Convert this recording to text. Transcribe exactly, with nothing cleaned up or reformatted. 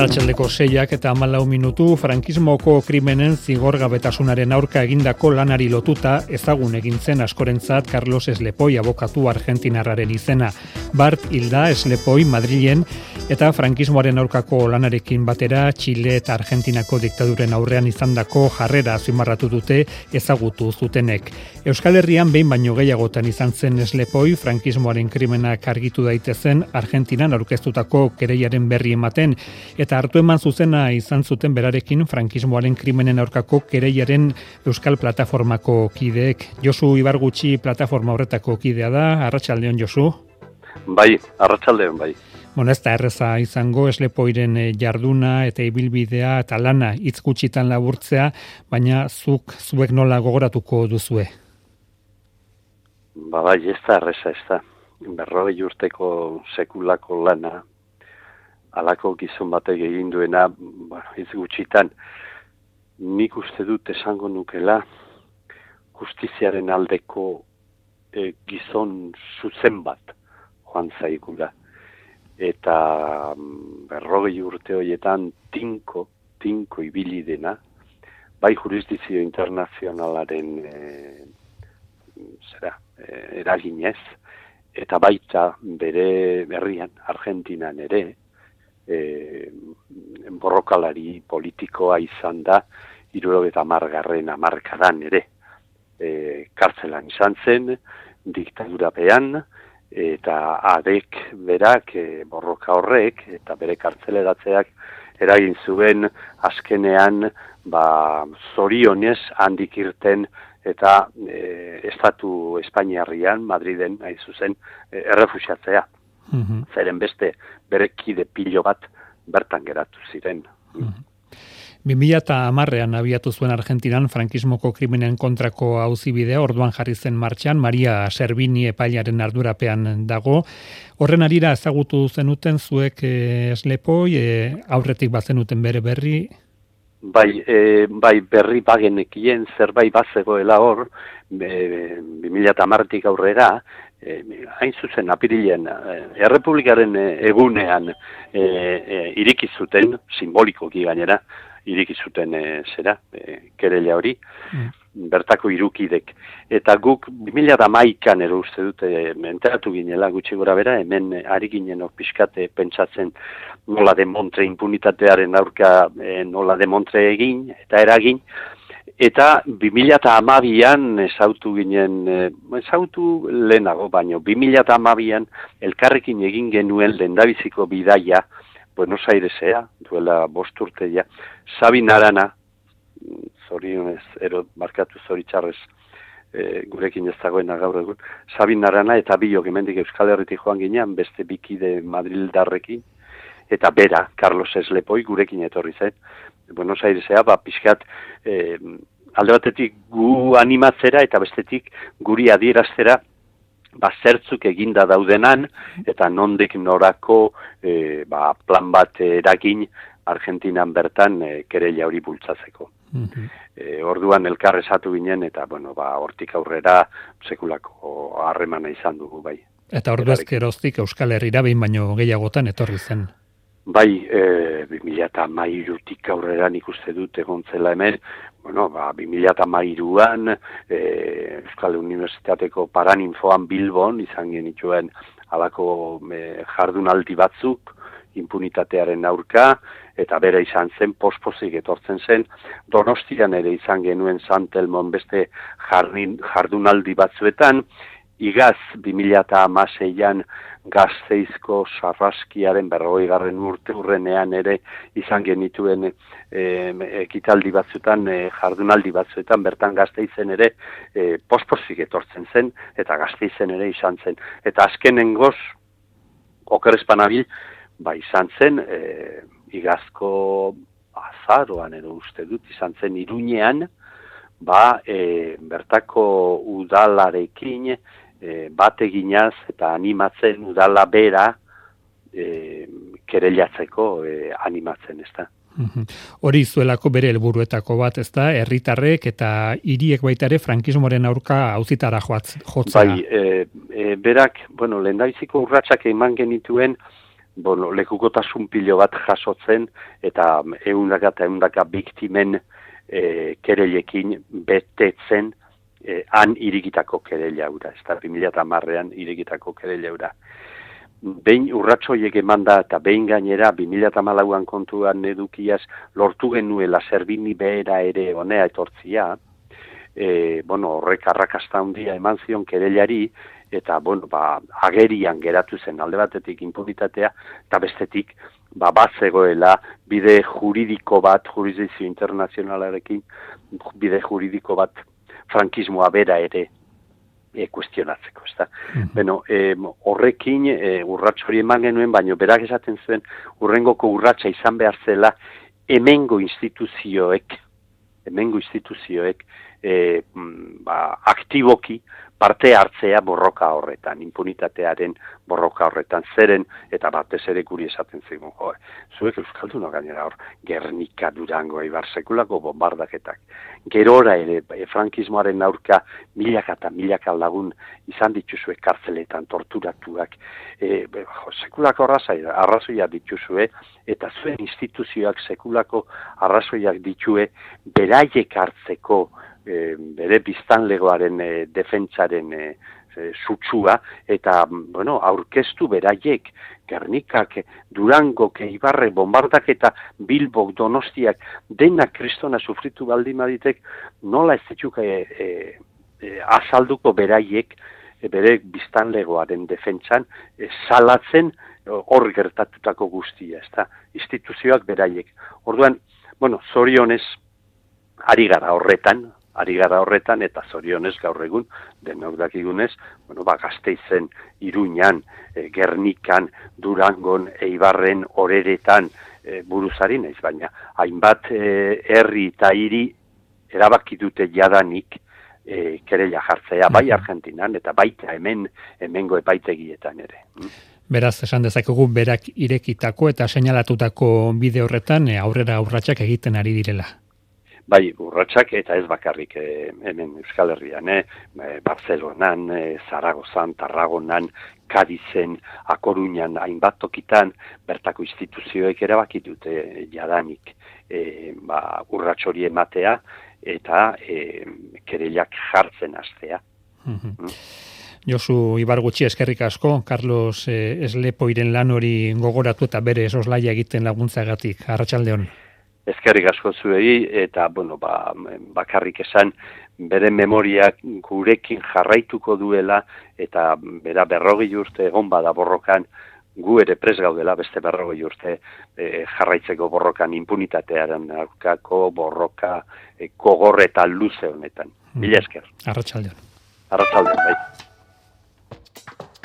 Arratsaldeko seiak eta hamalau minutu frankismoko krimenen zigorgabetasunaren aurka egindako lanari lotuta ezagun egin zen askorentzat Carlos Eslepoi abokatu argentinarraren izena. Bart hilda Eslepoi Madrilen eta frankismoaren aurkako lanarekin batera Txile eta Argentinako diktaduren aurrean izandako jarrera azpimarratu dute ezagutu zutenek. Euskal Herrian behin baino gehiagotan izan zen Eslepoi frankismoaren krimenak argitu daitezen Argentinan aurkeztutako kereiaren berri ematen eta hartu eman zuzena izan zuten berarekin frankismoaren krimenen aurkako kereiaren Euskal Plataformako kideek. Josu Ibargutxi plataforma horretako kidea da. Arratsaldeon, Josu. Bai, arratsaldeon, bai. Bueno, ez da erreza izango Eslepoiren jarduna eta ibilbidea eta lana hitz gutxitan laburtzea, baina zuk zuek nola gogoratuko duzue? Ba, bai, ez da erreza, ez da. Berrogei urteko sekulako lana, halako gizon batek egin duena, bueno, hitz gutxitan, nik uste dut esango nukela justiziaren aldeko e, gizon zuzen bat joan zaigula. Eta berrogei urte horietan tinko, tinko ibili dena, bai jurisdizio internazionalaren e, zera, e, eraginez, eta baita bere herrian, Argentinan ere, E, borrokalari politikoa izan da hirurogeita hamargarren hamarkadan ere e, kartzelan izan zen, diktadurapean, eta adek berak e, borroka horrek eta bere kartzeleratzeak eragin zuen azkenean ba, zorionez handik irten eta e, estatu Espainiarrian, Madriden, hain zuzen, e, errefuxiatzea. Mm-hmm. Zeren beste bere kide pilo bat bertan geratu ziren. Mm-hmm. bi mila hamarrean abiatu zuen Argentinan frankismoko krimenen kontrako auzibidea, orduan jarri zen martxan, Maria Servini epailaren ardurapean dago. Horren arira ezagutu zenuten zuek e, Eslepoi, e, aurretik bazenuten bere berri? Bai, e, bai berri bagenekien zerbait bazegoela hor, bi mila hamartik aurrera, E, hain zuzen apirilean Errepublikaren egunean e, e, iriki zuten, simbolikoki gainera, iriki zuten e, zera, e, kereila hori, mm. bertako irukidek. Eta guk bi mila hamaikan ero uste dute enteratu ginela gutxi gora bera, hemen ari ginen pixkate pentsatzen nola demontre impunitatearen aurka e, nola demontre egin eta eragin, eta bi mila hamabian ezautu ginen, ezautu lehenago, baino bi mila hamabian elkarrekin egin genuen lehendabiziko bidaia Buenos Airesea, duela bost urteia, Sabin Arana, zorionez, ero markatu zoritxarrez, e, gurekin ez dagoena gaur egun, Sabin Arana eta biok hemendik Euskal Herritik joan ginean, beste bikide Madrildarrekin, eta bera, Carlos Eslepoi, gurekin etorri zen, Buenos Airesea, ba, pixkat, eh, alde batetik gu animatzera eta bestetik guri adieraztera ba, zertzuk eginda daudenan eta nondik norako eh, ba, plan bat eragin Argentinan bertan eh, kereila hori bultzatzeko. Mm-hmm. E, orduan elkar esatu ginen eta bueno, ba, hortik aurrera sekulako harremana izan dugu bai. Eta ordu ezkeroztik Euskal Herrira behin baino gehiagotan etorri zen. Bai, e, bi mila hamairutik aurrera nik uste dut egontzela hemen, bueno, ba, bi mila hamairuan e, Euskal Unibertsitateko Paraninfoan Bilbon izan genituen halako e, jardunaldi batzuk, impunitatearen aurka, eta bere izan zen, pospozik etortzen zen, Donostian ere izan genuen Santelmon beste jardin, jardunaldi batzuetan, igaz bi mila hamaseian Gasteizko Sarraskiaren berrogei garren urte urrenean ere izan genituen e, ekitaldi batzuetan, e, jardunaldi batzuetan, bertan Gasteizen ere e, pospozik etortzen zen, eta Gasteizen ere izan zen. Eta azkenengoz, okerrezpanabil, ba izan zen, e, igazko azaroan edo uste dut, izan zen Iruñean, ba e, bertako udalarekin, E, bat eginaz eta animatzen udala bera e, kereilatzeko e, animatzen, ez da. Hori zuelako bere helburuetako bat, ez da, herritarrek eta hiriek baita ere frankismoaren aurka auzitara jotzea. Bai, e, e, berak, bueno, lehendabiziko urratsak eman genituen bueno, lekukotasun pilo bat jasotzen, eta eundaka eta eundaka biktimen e, kereilekin betetzen e, han irikitako kereila hura, ez da, bi mila hamarrean irikitako kereila hura. Behin urratsoiek emanda eta behin gainera bi mila hamalauan kontuan edukiaz lortu genuela Zerbini behera ere honea etortzia, e, bueno, horrek arrakasta handia eman zion kereilari, eta bueno, ba, agerian geratu zen alde batetik inpunitatea, eta bestetik ba, bat zegoela bide juridiko bat, jurisdikzio internazionalarekin, bide juridiko bat frankismoa bera ere e, kuestionatzeko, ezta. Mm-hmm. Beno, e, horrekin e, urrats hori eman genuen, baino berak esaten zuen urrengoko urratsa izan behar zela hemengo instituzioek, hemengo instituzioek e, ba, aktiboki parte hartzea borroka horretan, impunitatearen borroka horretan, zeren, eta batez ere guri esaten zigun, jo, zuek euskalduna gainera hor, Gernika, Durango, Eibar, sekulako bombardaketak. Gerora ere, e, frankismoaren aurka milaka eta milaka lagun izan dituzue kartzeletan, torturatuak, e, jo, sekulako arrazoia, arrazoia dituzue, eta zuen instituzioak sekulako arrazoiak ditue beraiek hartzeko, E, bere biztanlegoaren e, defentsaren e, e, sutsua, eta bueno, aurkeztu beraiek Gernikak, Durangok, Eibarre, bombardaketa, Bilbok, Donostiak, denak kristona sufritu baldin baditek, nola ez dituk e, e, e, azalduko beraiek e, bere biztanlegoaren defentsan e, salatzen hor gertatutako guztia, ezta, instituzioak beraiek. Orduan, bueno, zorionez ari gara horretan, ari gara horretan, eta zorionez gaur egun, denok dakigunez, bueno, ba, Gasteizen, Iruñan, e, Gernikan, Durangon, Eibarren, Oreretan, e, buruzari naiz, baina hainbat e, herri eta hiri erabaki dute jadanik e, kereila jartzea, bai Argentinan, eta baita hemen, hemengo epaitegietan ere. Beraz, esan dezakegu berak irekitako eta seinalatutako bide horretan e, aurrera urratsak egiten ari direla. Bai, urratsak eta ez bakarrik e, hemen Euskal Herrian, e, Barcelonan, e, Zaragozan, Tarragonan, Kadizen, A Coruñan, hainbat tokitan, bertako instituzioek erabaki dute e, jadanik e, ba, urrats hori ematea eta e, kereilak jartzen hastea. Mm-hmm. Mm. Josu Ibargutxi, eskerrik asko, Carlos eh, Eslepoiren lan hori gogoratu eta bere soslaia egiten laguntzagatik. Arratsaldeon. Ezkerrik asko zuei, eta, bueno, ba, bakarrik esan, bere memoriak gurekin jarraituko duela, eta bera berrogei urte egon bada borrokan, gu ere pres gaudela beste berrogei urte e, jarraitzeko borrokan impunitatearen aurkako borroka e, gogor eta luze honetan. Mila esker. Arratsaldeon. Arratsaldeon, bai.